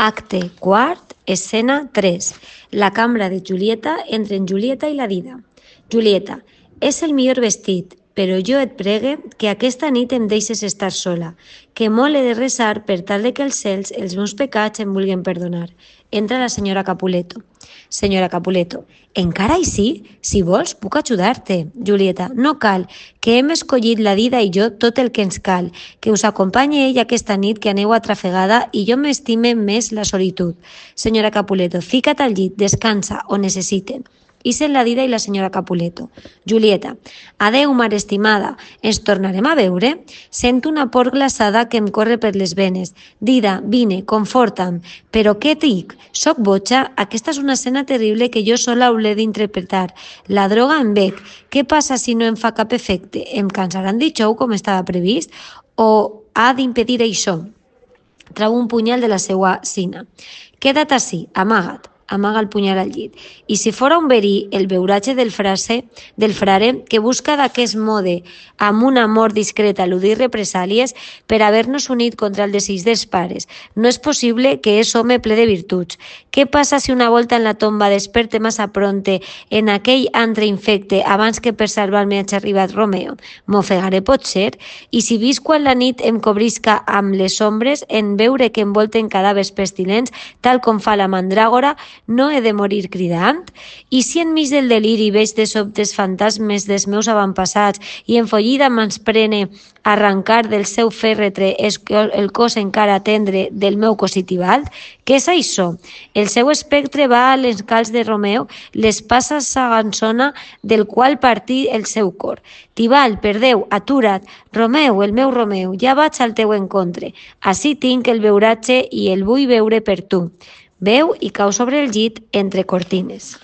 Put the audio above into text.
Acte quart, escena 3. La cambra de Julieta entre en Julieta i la Dida. Julieta, és el millor vestit, però jo et pregue que aquesta nit em deixes estar sola, que molt he de resar per tal de que els cels els meus pecats em vulguin perdonar. Entra la senyora Capuleto. Senyora Capuleto, encara així? Si vols, puc ajudar-te. Julieta, no cal, que hem escollit la Dida i jo tot el que ens cal, que us acompanyi ell aquesta nit que aneu atrafegada i jo m'estime més la solitud. Senyora Capuleto, fica't al llit, descansa, o necessiten. Ixen la Dida i la senyora Capuleto. Julieta, adeu, mare estimada, ens tornarem a veure? Sento una por glaçada que em corre per les venes. Dida, vine, conforta'm. Però què dic? Soc boja? Aquesta és una escena terrible que jo sola hauré d'interpretar. La droga em bec. Què passa si no em fa cap efecte? Em cansaran de xou com estava previst? O ha d'impedir això? Trau un punyal de la seua sina. Queda't ací, amaga't. Amaga el punyal al llit. I si fora un verí el beuratge del frare que busca d'aquest mode amb un amor discret eludir represàlies per haver-nos unit contra el desig dels pares. No és possible que és home ple de virtuts. Què passa si una volta en la tomba desperte massa pronte en aquell antre infecte abans que per salvar-me hagi arribat Romeo? M'ofegaré potser? I si visc quan la nit em cobrisca amb les ombres en veure que envolten cadàvers pestilents tal com fa la mandràgora, no he de morir cridant? I si enmig del deliri veig de sobtes fantasmes dels meus avantpassats i enfollida m'esprene arrencar del seu fèrretre el cos encara tendre del meu cosí Tibalt? Què és això? El seu espectre va a l'encalç de Romeo, les passa sagançona del qual partí el seu cor. Tibalt, per Déu, atura't! Romeu, el meu Romeu, ja vaig al teu encontre. Ací tinc el beuratge i el vull veure per tu. Veu i cau sobre el llit entre cortines.